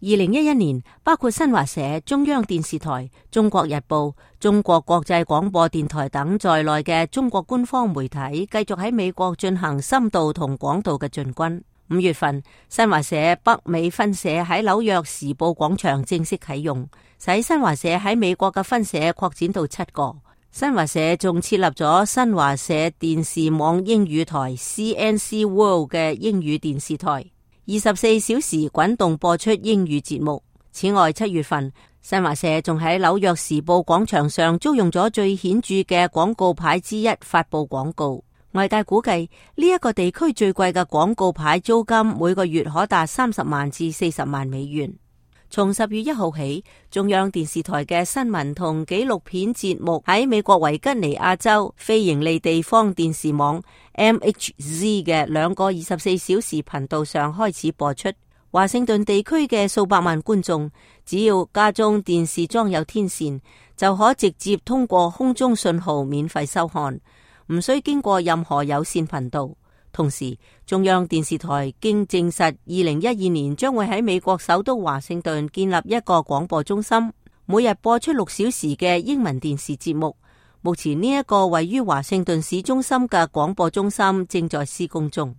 2011年，包括新華社、中央電視台、中國日報、中國國際廣播電台等在內嘅中國官方媒體繼續喺美國進行深度同廣度嘅進軍。5月份，新華社北美分社喺紐約時報廣場正式啟用，使新華社喺美國嘅分社擴展到7個。新華社仲設立咗新華社電視網英語台 CNC World 嘅英語電視台，24小時滾動播出英語節目。此外，7月份，新華社仲喺紐約時報廣場上租用咗最顯著嘅廣告牌之一發佈廣告。外界估計呢一個地區最貴嘅廣告牌租金每個月可達30萬至40萬美元。從10月1號起，中央電視台嘅新聞同紀錄片節目喺美國維吉尼亞州非營利地方電視網 MHZ 嘅2個24小時頻道上開始播出。華盛頓地區嘅數百萬觀眾，只要家中電視裝有天線，就可直接通過空中信號免費收看，唔需經過任何有線頻道。同時，中央電視台經證實2012年將會喺美國首都華盛頓建立一個廣播中心，每日播出6小時嘅英文電視節目。目前呢一個位於華盛頓市中心嘅廣播中心正在施工中。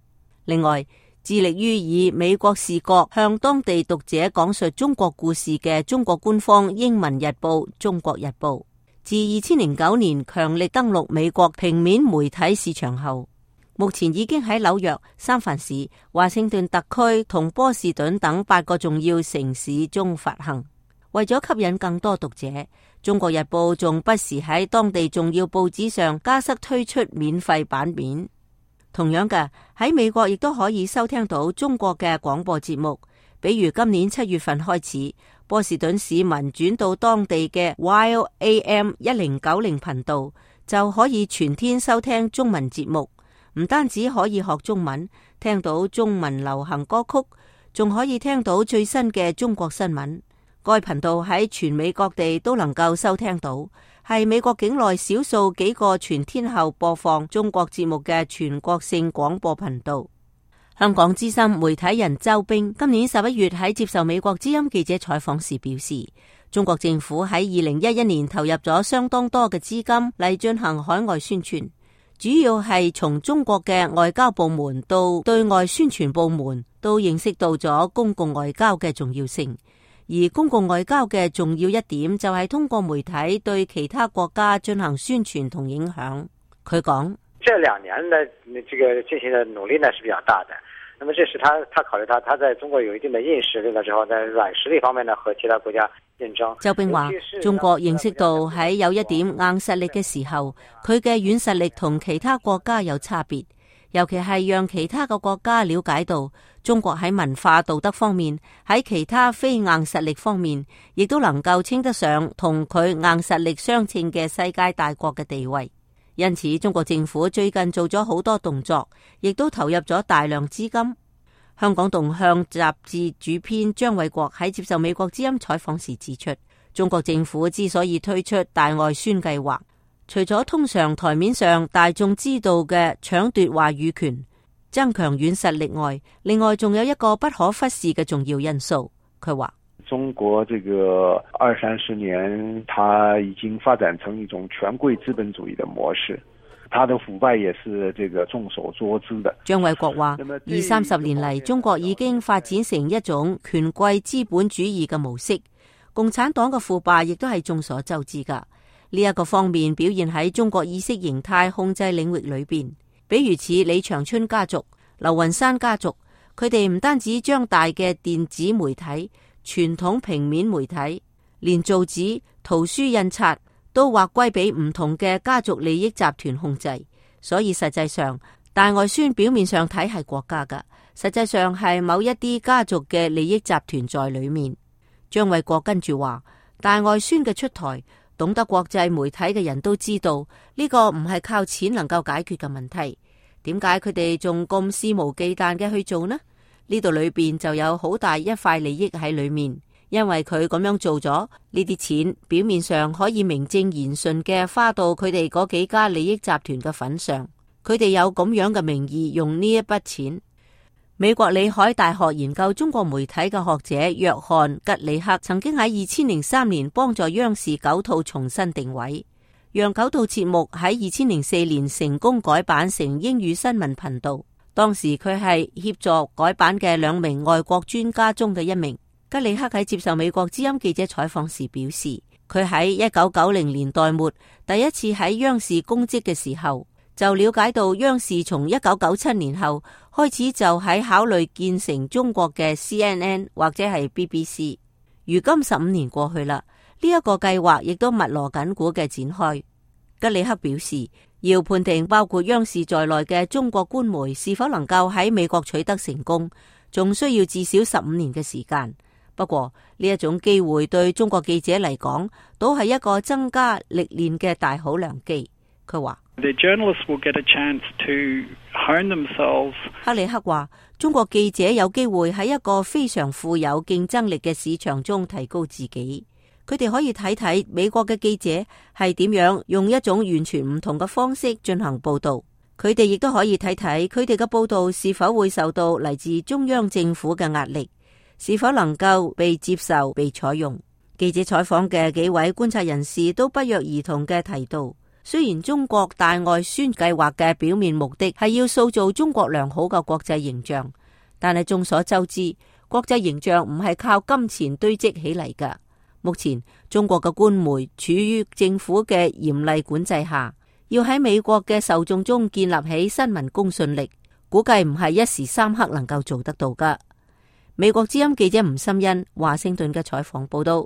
另外，致力於以美國視角向當地讀者講述中國故事嘅中國官方英文日報《中國日報》，自2009年強力登陸美國平面媒體市場後，目前已經喺紐約、三藩市、華盛頓特區同波士頓等8個重要城市中發行。為咗吸引更多讀者，中國日報仲不時喺當地重要報紙上加塞推出免費版面。同樣嘅，喺美國亦都可以收聽到中國嘅廣播節目，比如今年7月份開始，波士頓市民轉到當地嘅 Wild AM 1090頻道，就可以全天收聽中文節目。唔單止可以學中文，聽到中文流行歌曲，仲可以聽到最新嘅中國新聞。該頻道喺全美各地都能夠收聽到，係美國境內少數幾個全天候播放中國節目嘅全國性廣播頻道。香港資深媒體人周冰今年11月喺接受美國之音記者採訪時表示，中國政府喺2011年投入咗相當多嘅資金嚟進行海外宣傳。主要係從中國嘅外交部門到對外宣傳部門都認識到咗公共外交嘅重要性，而公共外交嘅重要一點就係通過媒體對其他國家進行宣傳同影響。佢講：這2年的這個進行的努力呢是比較大的。那麼這是他考慮他在中國有一定的硬實力了之後，在軟實力方面呢和其他國家競爭。周冰話：中國認識到喺有一點硬實力嘅時候，佢嘅軟實力同其他國家有差別，尤其係讓其他嘅國家了解到中國喺文化道德方面，喺其他非硬實力方面，亦都能夠稱得上同佢硬實力相稱嘅世界大國嘅地位。因此，中國政府最近做咗好多動作，亦都投入咗大量資金。香港動向雜誌主編張偉國喺接受美國之音採訪時指出，中國政府之所以推出大外宣計劃，除咗通常台面上大眾知道嘅搶奪話語權、增強軟實力外，另外仲有一個不可忽視嘅重要因素。佢話：中國這個20-30年，它已經發展成一種權貴資本主義的模式，它的腐敗也是這個眾所周知的。張偉國話：20-30年嚟，中國已經發展成一種權貴資本主義嘅模式，共產黨嘅腐敗亦都係眾所周知噶。呢一個方面表現喺中國意識形態控制領域裏邊，比如似李長春家族、劉雲山家族，佢哋唔單止將大嘅電子媒體、傳統平面媒體，連造紙、圖書印刷都劃歸俾唔同嘅家族利益集團控制，所以實際上大外宣表面上睇係國家噶，實際上係某一啲家族嘅利益集團在裏面。張偉國跟住話：大外宣嘅出台，懂得國際媒體嘅人都知道呢個唔係靠錢能夠解決嘅問題。點解佢哋仲咁肆無忌憚嘅去做呢？呢度裏邊就有好大一塊利益喺裏面，因為佢咁樣做咗，呢啲錢表面上可以名正言順嘅花到佢哋嗰幾家利益集團嘅份上，佢哋有咁樣嘅名義用呢一筆錢。美國里海大學研究中國媒體嘅學者約翰吉里克曾經喺2003年幫助央視9套重新定位，讓9套節目喺2004年成功改版成英語新聞頻道。當時佢係協助改版嘅2名外國專家中嘅1名。吉里克喺接受美國之音記者採訪時表示，佢喺1990年代末第一次喺央視公職嘅時候，就了解到央視從1997年後開始就喺考慮建成中國嘅 CNN 或者係 BBC。如今15年過去啦，呢一個計劃亦都密鑼緊鼓嘅展開。吉里克表示，要判定包括央視在內嘅中國官媒是否能夠喺美國取得成功，仲需要至少15年嘅時間。不過呢一種機會對中國記者嚟講，都係一個增加歷練嘅大好良機。佢話The journalists will get a chance to hone themselves. 克里克話，中國記者有機會喺一個非常富有競爭力嘅市場中提高自己。佢哋可以睇睇美國嘅記者係點樣用一種完全唔同嘅方式進行報道。佢哋亦都可以睇睇佢哋嘅報道是否會受到嚟自中央政府嘅壓力，是否能夠被接受、被採用。記者採訪嘅幾位觀察人士都不約而同嘅提到，雖然中國大外宣計劃嘅表面目的係要塑造中國良好嘅國際形象，但係眾所周知，國際形象唔係靠金錢堆積起嚟㗎。目前中國嘅官媒處於政府嘅嚴厲管制下，要喺美國嘅受眾中建立起新聞公信力，估計唔係一時三刻能夠做得到㗎。美國之音記者吳心欣華盛頓嘅採訪報道。